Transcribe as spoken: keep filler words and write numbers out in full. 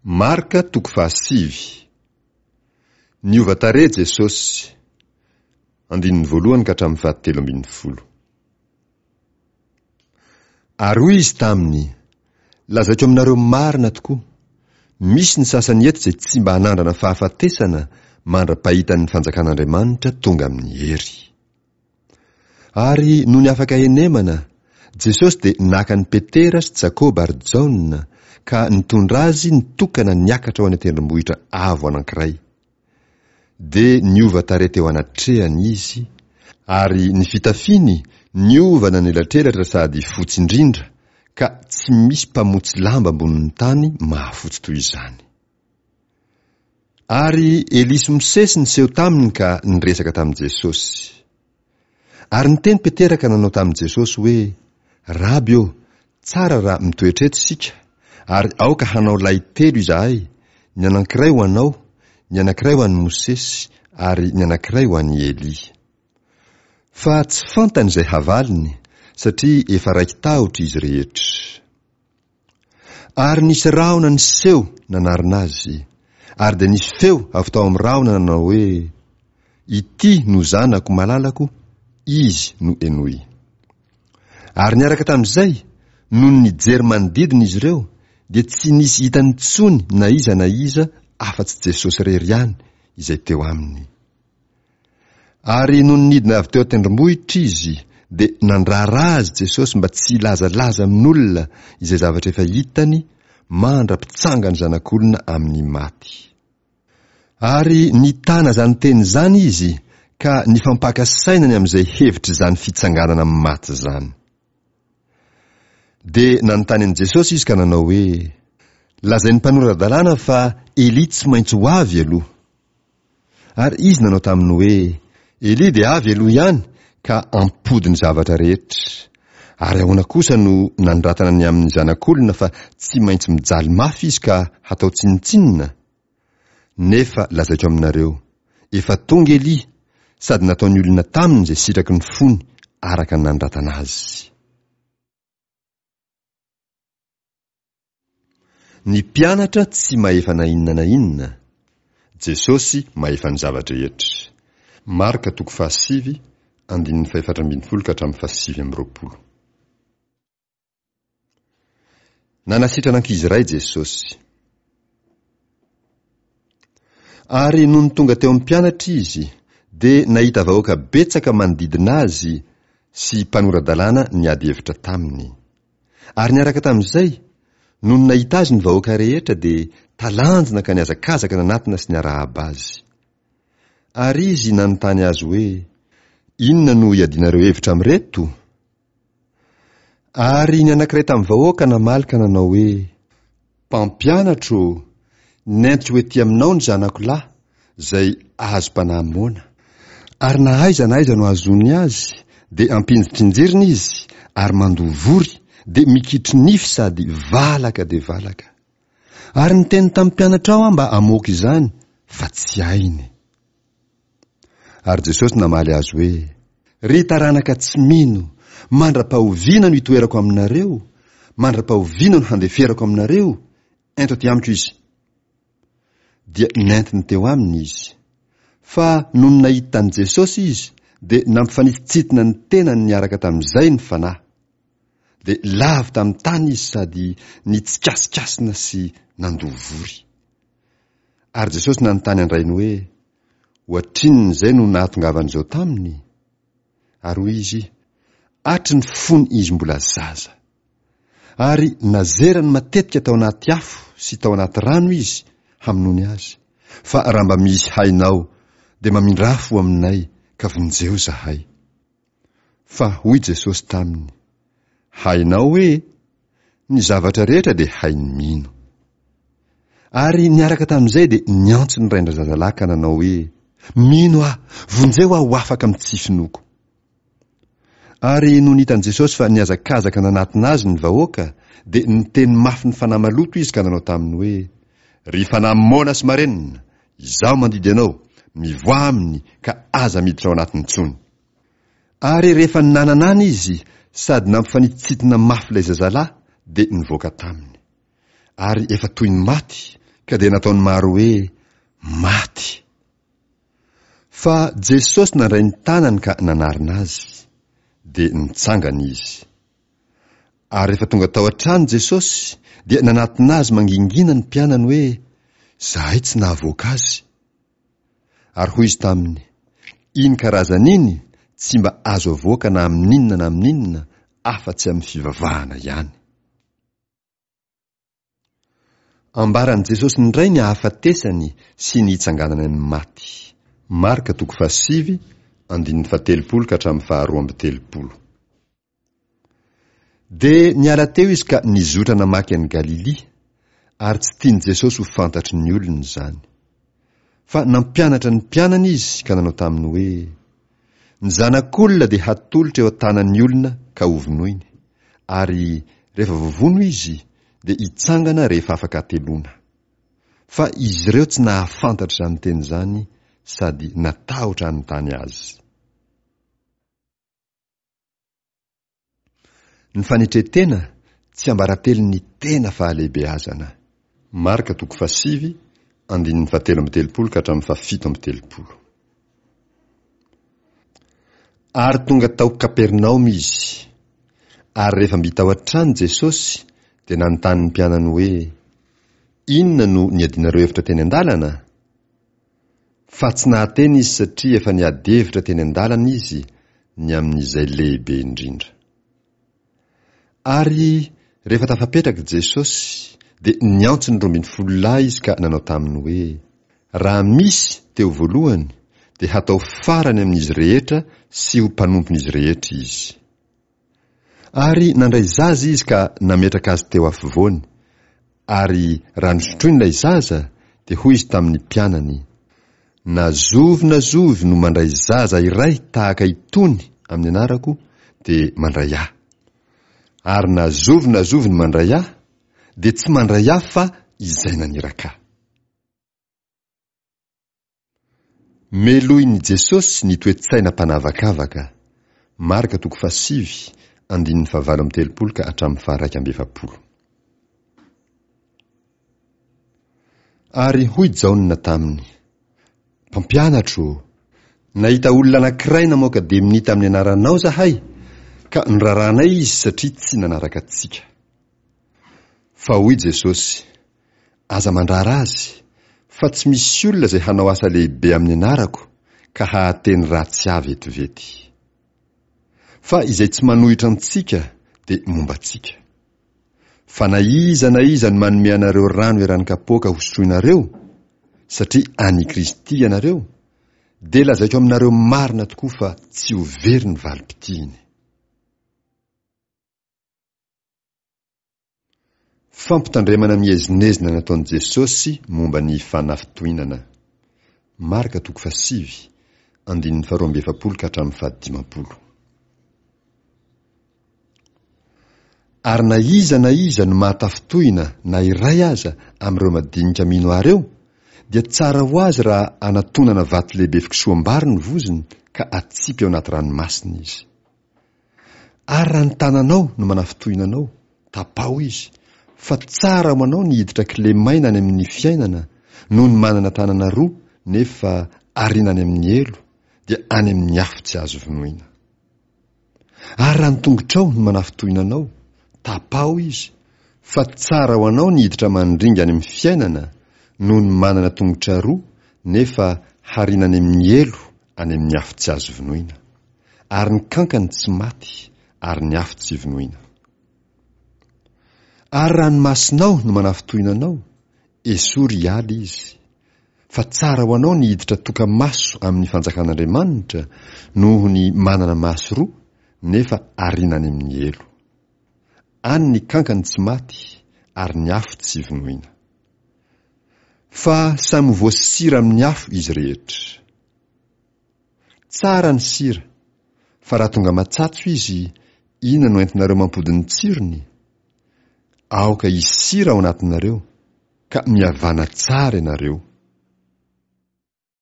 Marka toko fahasivy. Niova tarehy Jesosy. Andininy voalohany ka hatramin'ny fahatelo ambin'ny folo. Ary hoy izy taminy, Lazaiko aminareo marina tokoa, misy ny sasany eto izay tsy mba hanandrana fahafatesana mandra-pahitan'ny fanjakan'Andriamanitra tonga amin'ny hery. Ary nony afaka henemana, Jesosy dia naka an'i Petera sy Jakoba ary Jaona ka nitondra azy nitokana niakatra ho any an-tendrombohitra avo anankiray. Dia niova tarehy teo anatrehany izy, ary ny fitafiany niova nanelatrelatra sady fotsy indrindra, ka tsy misy mpamotsy lamba ambonin'ny tany mahafotsy toy izany. Ary Elia sy Mosesy niseho taminy ka niresaka tamin'i Jesosy. Ary niteny Petera ka nanao tamin'i Jesosy hoe, Raby ô, tsara raha mitoetra eto isika, ary aoka hanao lay telo izahay, ny anankiray ho anao, ny anankiray ho an'i Mosesy, ary ny anankiray ho an'i Elia. Fa tsy fantany izay havaliny, satria efa raiki-tahotra izy rehetra. Ary nisy rahona niseho nanarona azy, ary dia nisy feo avy tao amin'ny rahona nanao hoe, Ity no Zanako malalako, Izy no henoy. Ary niaraka tamin'izay, nony nijery manodidina izy ireo, dia tsy nisy hitany intsony na iza na iza afa-tsy Jesosy irery ihany izay teo aminy. Ary nony nidina avy teo an-tendrombohitra izy, dia nandrara azy Jesosy mba tsy hilazalaza amin'olona izay zavatra efa hitany mandra-pitsangan'ny Zanak'olona amin'ny maty. Ary nitana izany teny izany izy ka nifampaka saina ny amin'izay hevitr'izany fitsanganana amin'ny maty izany. Dia nanontany an'i Jesosy izy ka nanao hoe, Lazain'ny mpanora-dalàna fa Elia tsy maintsy ho avy aloha. Ary izy nanao taminy hoe, Elia dia avy aloha ihany ka hampody ny zavatra rehetra. Ary ahoana kosa no nanoratana ny amin'ny Zanak'olona fa tsy maintsy mijaly mafy izy ka hatao tsinontsinona? Nefa lazaiko aminareo, efa tonga Elia, sady nataon'ny olona taminy izay sitraky ny fony araka ny nanoratana azy. Ny mpianatra tsy mahefa na inona na inona, Jesosy mahefa ny zava-drehetra. Marka toko fahasivy, andininy fahefatra ambin'ny folo ka hatramin'ny fahasivy amby roapolo. Nanasitrana ankizy iray Jesosy. Ary nony tonga teo amin'ny mpianatra izy, dia nahita vahoaka betsaka manodidina azy sy mpanora-dalàna niady hevitra taminy. Ary niaraka tamin'izay, nony nahita azy ny vahoaka rehetra, dia talanjona ka nihazakazaka nanatona sy niarahaba azy. Ary izy nanontany azy hoe, Inona no iadianareo hevitra amin'ireto? Ary ny anankiray tamin'ny vahoaka namaly ka nanao hoe, Mpampianatro ô, nentiko ho ety aminao ny zanako lahy, izay azom-panahy moana. Ary na aiza na aiza no ahazoany azy, dia ampinjitrinjirina izy, ary mandoa vory, dia mikitro-nify sady valaka dia valaka. Ary niteny tamin'ny mpianatrao aho mba hamoaka izany, fa tsy hainy. Ary Jesosy namaly azy hoe, Ry taranaka tsy mino, mandra-pahoviana no hitoerako aminareo? Mandra-pahoviana no handeferako aminareo? Ento aty amiko izy. Dia nentiny teo aminy izy. Fa nony nahita an'i Jesosy izy, dia nampifanitsintsina ny tenany niaraka tamin'izay ny fanahy. Dia lavo tamin'ny tany izy sady nitsikasikasina sy nandoa vory. Ary Jesosy nanontany an-drainy hoe, Ohatrinona izay no nahatongavan'izao taminy? Ary hoy izy, Hatry ny fony izy mbola zaza. Ary nazerany matetika tao anaty afo sy tao anaty rano izy hamonoany azy, fa raha mba misy hainao, dia mamindrà fo aminay ka vonjeo izahay. Fa hoy Jesosy taminy, Hainao hoe? Ny zavatra rehetra dia hain'ny mino. Ary niaraka tamin'izay dia niantso ny rain-drazazalahy ka nanao hoe, Mino aho, vonjeo aho ho afaka amin'ny tsy finoako. Ary nony hitan'i Jesosy fa nihazakazaka nanatona azy ny vahoaka, dia niteny mafy ny fanahy maloto izy ka nanao taminy hoe, Ry fanahy moana sy marenina, izaho mandidy anao, mivoaha aminy ka aza miditra ao anatiny intsony. Ary rehefa nananana izy sady nampifanitsintina mafy ilay zazalahy, dia nivoaka taminy. Ary efa toy ny maty, ka dia nataon'ny maro hoe maty. Fa Jesosy nandray ny tanany ka nanarina azy, dia nitsangana izy. Ary rehefa tonga tao an-trano Jesosy, dia nanatona azy mangingina ny mpianany hoe, Izahay tsy nahavoaka azy. Ary hoy izy taminy, Iny karazana iny tsy mba azo avoaka na amin'inona na amin'inona, afa-tsy amin'ny fivavahana ihany. Ambaran'i Jesosy indray ny hahafatesany sy ny hitsanganany amin'ny maty. Marka toko fahasivy, andininy fahatelopolo ka hatramin'ny faharoa amby telopolo. Dia niala teo izy ka nizotra namaky an'i Galilia, ary tsy tian'i Jesosy ho fantatry ny olona izany. Fa nampianatra ny mpianany izy ka nanao taminy hoe, Ny Zanak'olona dia hatolotra eo an-tanan'ny olona ka hovonoiny, ary rehefa voavono izy, dia hitsangana rehefa afaka hateloana. Fa izy ireo tsy nahafantatra izany teny izany sady natahotra hanontany azy. Ny fanetren-tena, tsiambaratelon'ny tena fahalehibeazana. Marka toko fahasivy, andininy fahatelo amby telopolo ka hatramin'ny fahafito amby telopolo. Ary tonga tao Kapernaomy izy. Ary rehefa mby tao an-trano Jesosy, dia nanontany ny mpianany hoe, Inona no niadianareo hevitra teny an-dalana? Fa tsy nahateny izy satria efa niady hevitra teny an-dalana izy ny amin'izay lehibe indrindra. Ary rehefa tafapetraka Jesosy, dia niantso ny roa ambin'ny folo lahy izy ka nanao taminy hoe, Raha misy te ho voalohany, dia hatao farany amin'izy rehetra sy ho mpanompon'izy rehetra izy. Ary nandray zaza izy ka nametraka azy teo afovoany, ary raha nosotroiny ilay zaza, dia hoy izy tamin'ny mpianany, Na zovy na zovy no mandray zaza iray tahaka itony amin'ny anarako, dia mandray ahy. Ary na zovy na zovy no mandray ahy, dia tsy mandray ahy fa izay naniraka ahy. Melohin'i Jesosy ny toe-tsaina mpanavakavaka, Marka toko fahasivy, andininy fahavalo amby telopolo ka hatramin'ny faharaika amby efapolo. Ary hoy Jaona taminy, Mpampianatro ô, nahita olona anankiray namoaka demonia tamin'ny anaranao izahay, ka noraranay izy satria tsy nanaraka antsika. Fa hoy Jesosy, Aza mandrara azy, fa tsy misy olona izay hanao asa lehibe amin'ny anarako ka hahateny ratsy ahy vetivety. Fa izay tsy manohitra antsika dia momba antsika. Fa na iza na iza no manome anareo rano eran'ny kapoaka hosotroinareo, satria an'i Kristy ianareo, dia lazaiko aminareo marina tokoa fa tsy ho very ny valim-pitihiny. Fampitandremana miezinezina nataon'i Jesosy momba ny fanafintohinana. Marka toko fahasivy, andininy faharoa amby efapolo ka hatramin'ny fahadimampolo. Ary na iza na iza no mahatafintohina na iray aza amin'ireo madinika mino ahy ireo, dia tsara ho azy raha anatonana vato lehibe fikosoham-bary ny vozony ka atsipy ao anaty ranomasina izy. Ary raha ny tananao no manafintohina anao, tapaho izy, fa tsara ho anao ny hiditra kilemaina any amin'ny fiainana noho ny manana tanana roa nefa ariana any amin'ny helo, dia any amin'ny afo tsy azo vonoina. Ary raha ny tongotrao no manafintohina anao, tapaho izy, fa tsara ho anao ny hiditra mandringa any amin'ny fiainana noho ny manana tongotra roa nefa hariana any amin'ny helo any amin'ny afo tsy azo vonoina. Ary ny kankany tsy maty, ary ny afo tsy vonoina. Ary raha ny masonao no manafintohina anao, esory hiala izy. Fa tsara ho anao ny hiditra toka-maso amin'ny fanjakan'Andriamanitra noho ny manana maso roa nefa ariana any amin'ny helo. Any ny kankany tsy maty ary ny afo tsy vonoina. Fa samy ho voasira amin'ny afo izy rehetra. Tsara ny sira, fa raha tonga matsatso izy, inona no entinareo mampody ny tsirony? Aoka hisy sira ao anatinareo, ka mihavàna tsara ianareo.